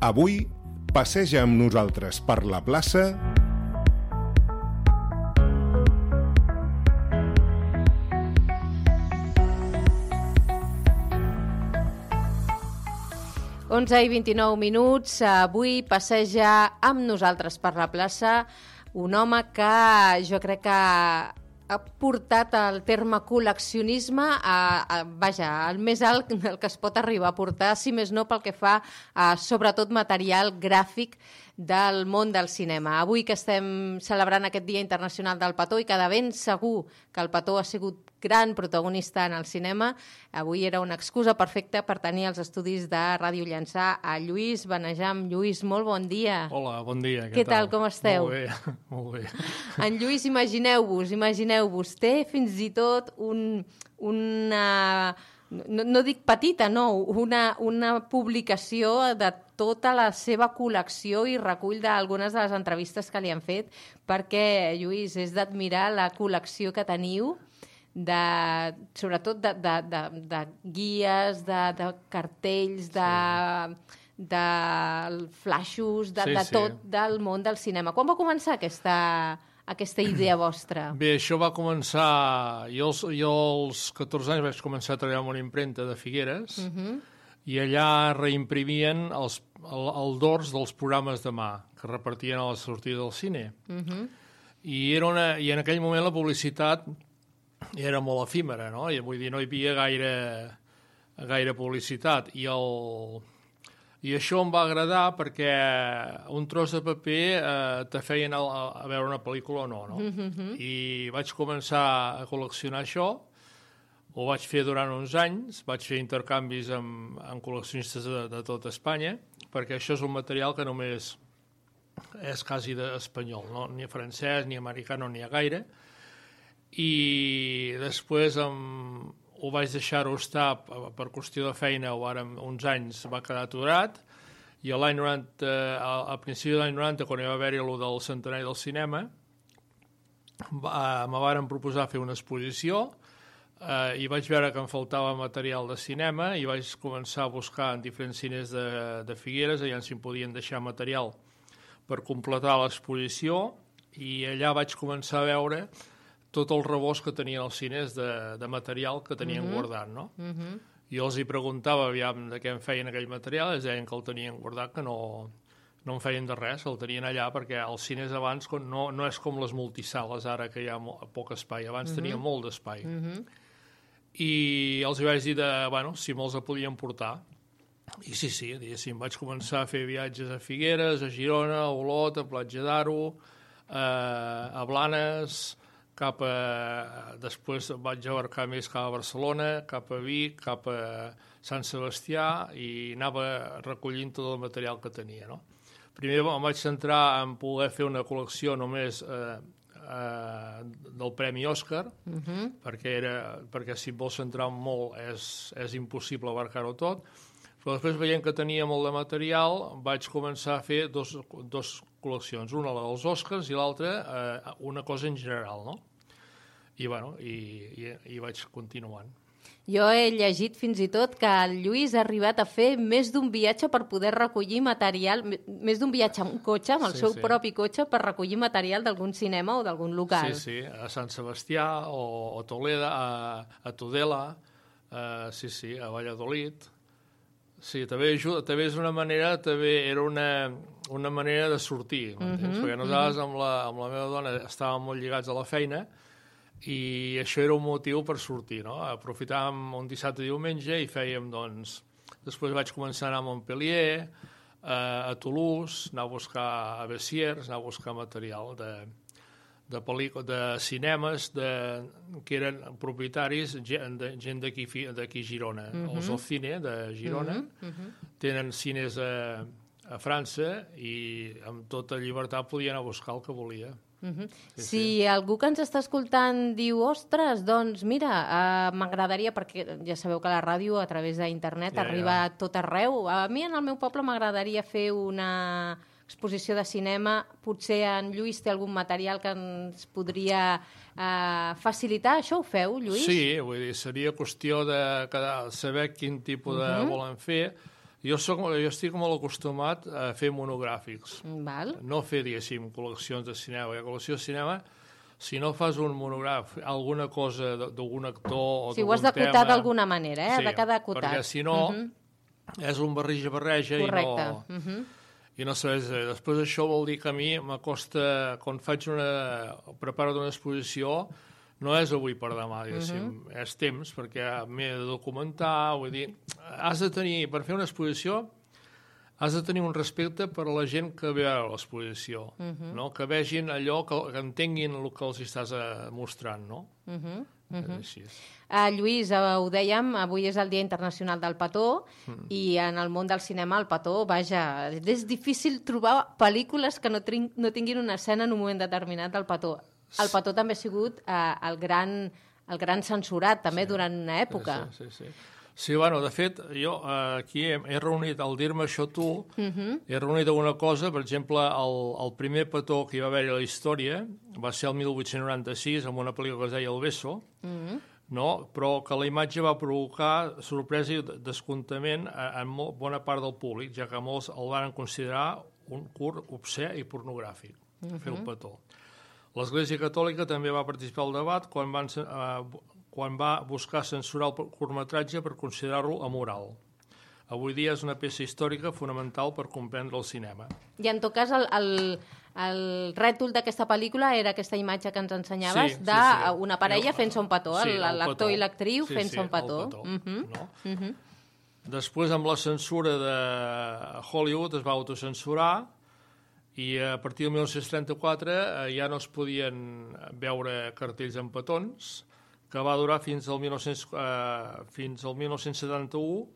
Avui, passeja amb nosaltres per la plaça... i 29 minuts. Avui passeja amb nosaltres per la plaça un home que jo crec que ha portat el terme col·leccionisme al més alt el que es pot arribar a portar, si més no pel que fa a sobretot material gràfic del món del cinema. Avui que estem celebrant aquest Dia Internacional del Petó i que de ben segur que el petó ha sigut gran protagonista en el cinema, avui era una excusa perfecta per tenir els estudis de Ràdio Llançà a Lluís Benejam. Lluís, molt bon dia. Hola, bon dia. Què tal, com esteu? Molt bé, molt bé. En Lluís, imagineu-vos, té fins i tot una... No dic petita, no, una publicació de tota la seva col·lecció i recull d'algunes de les entrevistes que li han fet, perquè, Lluís, és d'admirar la col·lecció que teniu, sobretot de guies, de cartells, de flaixos, de tot del món del cinema. Quan va començar aquesta idea vostra? Bé, això va començar... Jo als 14 anys vaig començar a treballar en una impremta de Figueres i allà reimprimien el dors dels programes de mà que repartien a la sortida del cine. I en aquell moment la publicitat era molt efímera, no? Vull dir, no hi havia gaire publicitat. I això em va agradar perquè un tros de paper te feien a veure una pel·lícula o no? I vaig començar a col·leccionar això, ho vaig fer durant uns anys, vaig fer intercanvis amb col·leccionistes de tot Espanya, perquè això és un material que només és quasi espanyol, no? Ni francès, ni americà, no n'hi ha gaire. I després ho vaig deixar-ho estar per qüestió de feina, o ara uns anys va quedar aturat, i l'any 90, al principi de l'any 90, quan hi va haver-hi el del centenari del cinema, me varen proposar fer una exposició i vaig veure que em faltava material de cinema i vaig començar a buscar en diferents cines de Figueres, allà si em podien deixar material per completar l'exposició, i allà vaig començar a veure tot el rebost que tenien els cines de material que tenien guardat, no? Jo els hi preguntava aviam de què em feien aquell material, ells deien que el tenien guardat, que no en feien de res, el tenien allà, perquè els cines abans no és com les multisales ara, que hi ha poc espai, abans tenia molt d'espai. I els hi vaig dir si me'ls podien portar. I sí, diguéssim, vaig començar a fer viatges a Figueres, a Girona, a Olot, a Platja d'Aro, a Blanes... Després vaig abarcar més cap a Barcelona, cap a Vic, cap a Sant Sebastià, i anava recollint tot el material que tenia, no? Primer em vaig centrar en poder fer una col·lecció només del Premi Òscar, perquè si et vols centrar molt és impossible abarcar-ho tot, però després veient que tenia molt de material vaig començar a fer dos col·leccions, una la dels Òscars i l'altra una cosa en general, no? I vaig continuant. Jo he llegit fins i tot que el Lluís ha arribat a fer més d'un viatge per poder recollir material, més d'un viatge amb un cotxe, amb el seu propi cotxe, per recollir material d'algun cinema o d'algun local. Sí, a Sant Sebastià o a Toledo, a Tudela, a Valladolid. Sí, també és una manera, era una manera de sortir, perquè nosaltres amb la meva dona estàvem molt lligats a la feina i això era un motiu per sortir, no? Aprofitàvem un dissabte i diumenge i fèiem, doncs... Després vaig començar a anar a Montpellier, a Toulouse, anar a buscar a Bessiers, anar a buscar material de cinemes que eren propietaris, gent d'aquí a Girona. Els Ocine de Girona tenen cines a França i amb tota llibertat podia anar a buscar el que volia. Si algú que ens està escoltant diu ostres, doncs mira, m'agradaria, perquè ja sabeu que la ràdio a través d'internet arriba a tot arreu, a mi en el meu poble m'agradaria fer una exposició de cinema, potser en Lluís té algun material que ens podria facilitar, això ho feu, Lluís? Sí, vull dir, seria qüestió de saber quin tipus de volen fer. Jo estic molt acostumat a fer monogràfics. Val. No fer, diguéssim, col·leccions de cinema. Perquè col·lecció de cinema, si no fas un monogràfic, alguna cosa d'algun actor o Sí, ho d'algun has d'acotar tema... d'alguna manera, Sí, ha de quedar acotat. perquè si no, és un barreja Correcte. i no sabés. Després això vol dir que a mi m'acosta, quan preparo una exposició, no és avui per demà, diguéssim, és temps, perquè m'he de documentar, vull dir, per fer una exposició, has de tenir un respecte per a la gent que ve a l'exposició, no? Que vegin allò, que entenguin el que els estàs mostrant, no? És així. Lluís, ho dèiem, avui és el Dia Internacional del Petó i en el món del cinema el petó, vaja, és difícil trobar pel·lícules que no tinguin una escena en un moment determinat del petó. El petó també ha sigut el gran censurat, també, durant una època. Sí, bueno, de fet, jo aquí he reunit, al dir-me això tu, he reunit alguna cosa, per exemple, el primer petó que hi va haver a la història va ser el 1896, amb una pel·lícula que es deia El Beso, no? Però que la imatge va provocar sorpresa i descontament en bona part del públic, ja que molts el van considerar un curt obscè i pornogràfic, fer el petó. L'Església Catòlica també va participar al debat quan va buscar censurar el curtmetratge per considerar-lo amoral. Avui dia és una peça històrica fonamental per comprendre el cinema. I en tot cas, el rètol d'aquesta pel·lícula era aquesta imatge que ens ensenyaves d'una parella fent-se un petó, l'actor i l'actriu fent-se un petó. Després, amb la censura de Hollywood, es va autocensurar i a partir del 1934 ja no es podien veure cartells amb petons, que va durar fins al 1971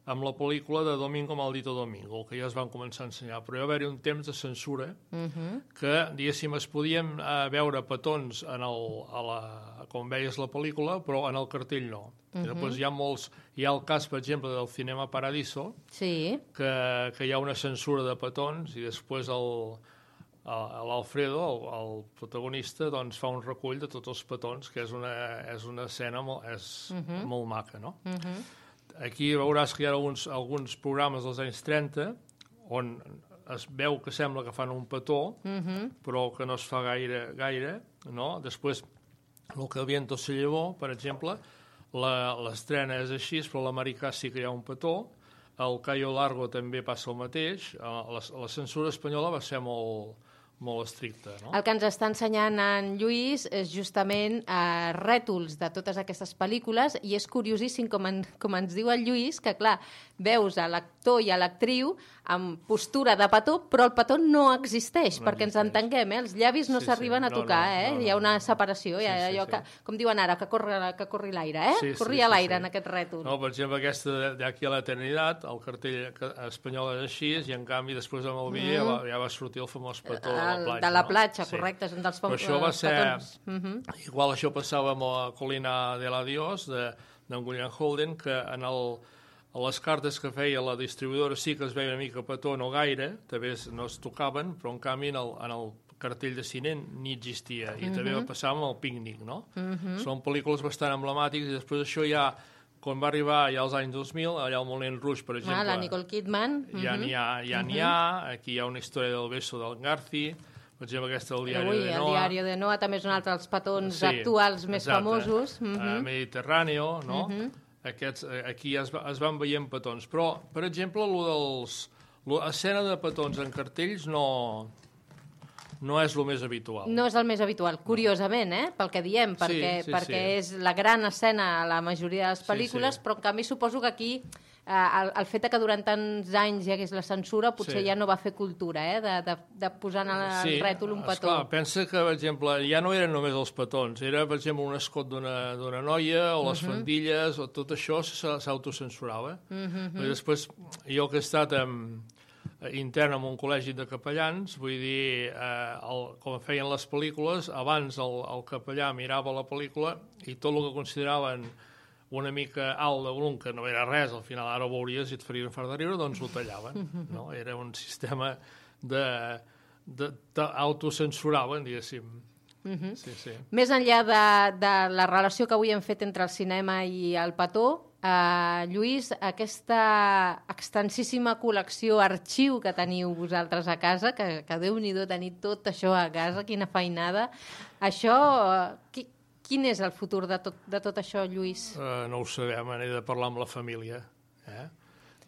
amb la pel·lícula de Domingo Maldito Domingo, que ja es van començar a ensenyar. Però hi va haver un temps de censura que, diguéssim, es podien veure petons com veies la pel·lícula, però en el cartell no. Després hi ha el cas, per exemple, del Cinema Paradiso, que hi ha una censura de petons i després l'Alfredo, el protagonista, doncs fa un recull de tots els petons, que és una escena molt maca, no? Aquí veuràs que hi ha alguns programes dels anys 30 on es veu que sembla que fan un petó, però que no es fa gaire, no? Després, el que el viento se llevó, per exemple, l'estrena és així, però l'americà sí que hi ha un petó, el Cayo Largo també passa el mateix, la censura espanyola va ser molt estricta, no? El que ens està ensenyant en Lluís és justament rètols de totes aquestes pel·lícules i és curiosíssim, com ens diu el Lluís, que clar, veus a l'actor i a l'actriu amb postura de petó, però el petó no existeix, perquè ens entenguem, els llavis no s'arriben a tocar, hi ha una separació, allò que, com diuen ara, que corri l'aire, corria l'aire en aquest rètol. No, per exemple, aquesta d'Aquí a l'Eternitat, el cartell espanyol és així, i en canvi després amb el vídeo ja va sortir el famós petó de la platja, correcte, és un dels petons. Però això va ser... Igual això passava amb la Colina de la Dios, d'en William Holden, que a les cartes que feia la distribuïdora sí que es veia una mica petó, no gaire, també no es tocaven, però en canvi en el cartell de cine ni existia, i també va passar amb el Pícnic, no? Són pel·lícules bastant emblemàtiques, i després això ja, quan va arribar ja als anys 2000, allà al Moulin Rouge, per exemple... la Nicole Kidman. Ja n'hi ha, aquí hi ha una història del beso del Garci, per exemple, aquesta del Diario de Noa. El Diario de Noa també és un altre dels petons actuals més famosos. Mediterráneo, no? Aquí es van veient petons. Però, per exemple, l'escena de petons en cartells no és el més habitual. No és el més habitual, curiosament, pel que diem, perquè és la gran escena a la majoria de les pel·lícules, però en canvi suposo que aquí el fet que durant tants anys hi hagués la censura potser ja no va fer cultura, de posar en el rètol un petó. Esclar, pensa que, per exemple, ja no eren només els petons, era, per exemple, un escot d'una noia o les faldilles, o tot això s'autocensurava. Després, jo que he estat intern en un col·legi de capellans, vull dir, com feien les pel·lícules, abans el capellà mirava la pel·lícula i tot el que consideraven una mica alt de volum, que no era res, al final ara ho veuries i et farien fart de riure, doncs ho tallaven. No? Era un sistema d'autocensuraven, diguéssim. Més enllà de la relació que avui hem fet entre el cinema i el petó, Lluís, aquesta extensíssima col·lecció, arxiu que teniu vosaltres a casa, que Déu-n'hi-do tenir tot això a casa, quina feinada. Això, quin és el futur de tot això, Lluís? No ho sabem, n'he de parlar amb la família.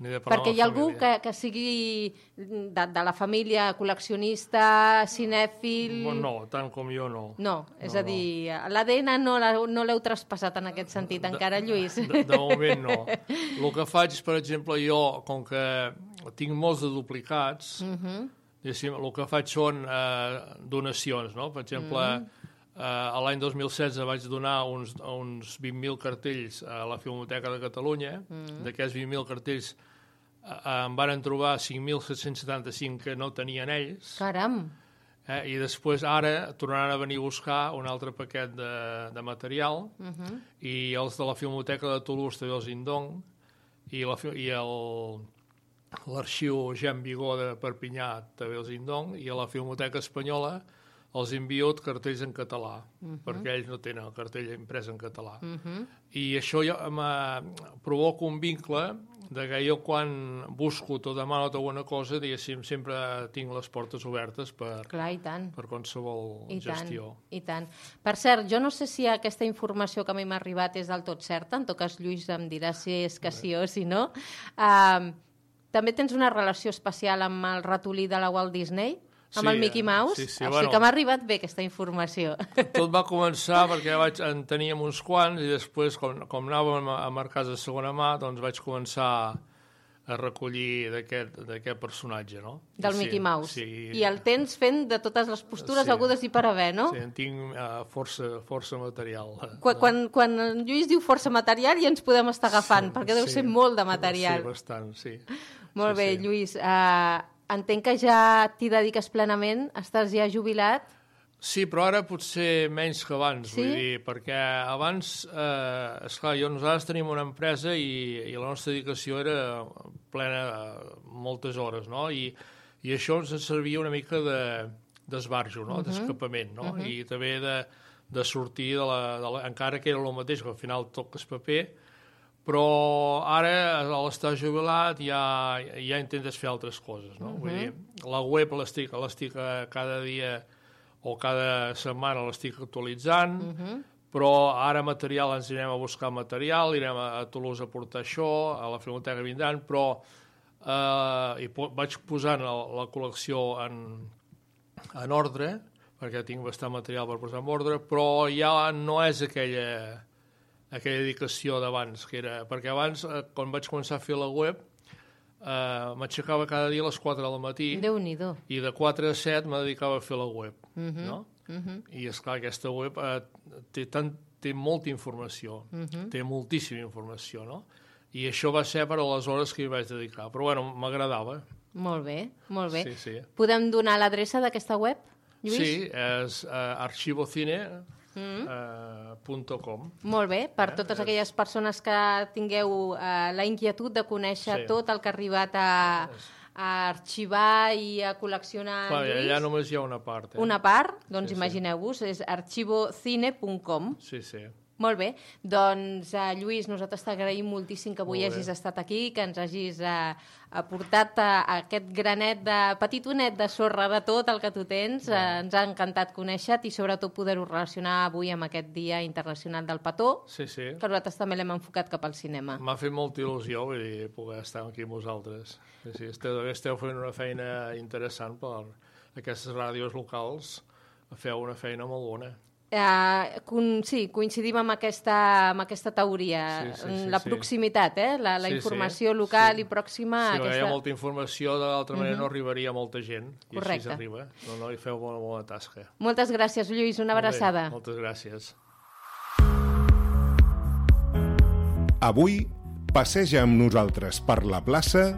Perquè hi ha algú que sigui de la família col·leccionista, cinèfil... No, tant com jo no. No, és a dir, l'ADN no l'heu traspassat en aquest sentit encara, Lluís? De moment no. El que faig, per exemple, jo, com que tinc molts de duplicats, el que faig són donacions, no? Per exemple, l'any 2016 vaig donar uns 20.000 cartells a la Filmoteca de Catalunya. D'aquests 20.000 cartells em van trobar 5.775 que no tenien ells. Caram! I després ara tornaran a venir a buscar un altre paquet de material i els de la Filmoteca de Toulouse també els indong i l'arxiu Jean Vigó de Perpinyà també els indong i a la Filmoteca Espanyola els envio cartells en català, perquè ells no tenen el cartell imprès en català. I això ja provoca un vincle de que jo quan busco o demano alguna cosa, diguéssim, sempre tinc les portes obertes per qualsevol gestió. I tant. Per cert, jo no sé si aquesta informació que a mi m'ha arribat és del tot certa, en tot cas Lluís em dirà si és que sí o si no. També tens una relació especial amb el ratolí de la Walt Disney? Amb el Mickey Mouse? Sí, o sigui que m'ha arribat bé aquesta informació. Tot va començar perquè en teníem uns quants i després, com anàvem a mercats de segona mà, doncs vaig començar a recollir d'aquest personatge, no? Del Mickey Mouse. I el tens fent de totes les postures agudes i per haver, no? Sí, en tinc força material. Quan en Lluís diu força material ja ens podem estar agafant, perquè deu ser molt de material. Sí, bastant, sí. Molt bé, Lluís. Entenc que ja t'hi dediques plenament, estàs ja jubilat? Sí, però ara potser menys que abans, vull dir, perquè abans, esclar, nosaltres tenim una empresa i la nostra dedicació era plena moltes hores, no? I això ens servia una mica d'esbarjo, no? D'escapament, no? I també de sortir encara que era el mateix, que al final toques paper, però ara, a l'estar jubilat, ja intentes fer altres coses, no? Vull dir, la web l'estic cada dia o cada setmana l'estic actualitzant, però ara material ens anirem a buscar material, anirem a Toulouse a portar això, a la Filmoteca vindran, però vaig posant la col·lecció en ordre, perquè tinc bastant material per posar en ordre, però ja no és aquella dedicació d'abans, perquè abans, quan vaig començar a fer la web, m'aixecava cada dia a les 4 del matí. Déu-n'hi-do. I de 4 a 7 me dedicava a fer la web, no? I, esclar, aquesta web té molta informació, té moltíssima informació, no? I això va ser per a les hores que hi vaig dedicar. Però, bueno, m'agradava. Molt bé, molt bé. Sí. Podem donar l'adreça d'aquesta web, Lluís? Sí, és archivocine.com. Molt bé, per totes aquelles persones que tingueu la inquietud de conèixer tot el que ha arribat a arxivar i a col·leccionar. Allà només hi ha una part. Una part? Doncs imagineu-vos, és archivocine.com. Sí. Molt bé, doncs Lluís, nosaltres t'agraïm moltíssim que avui hagis estat aquí, que ens hagis aportat aquest granet petitonet de sorra de tot el que tu tens. Ens ha encantat conèixer-te i sobretot poder-ho relacionar avui amb aquest Dia Internacional del Petó, que nosaltres també l'hem enfocat cap al cinema. M'ha fet molta il·lusió poder estar aquí amb vosaltres. Sí, esteu fent una feina interessant per aquestes ràdios locals, feu una feina molt bona. Sí, coincidim amb aquesta teoria, la proximitat, la informació local i pròxima. Si hi ha molta informació, d'altra manera no arribaria a molta gent, i així s'arriba. No, hi feu bona tasca. Moltes gràcies, Lluís, una abraçada. Moltes gràcies. Avui passeja amb nosaltres per la plaça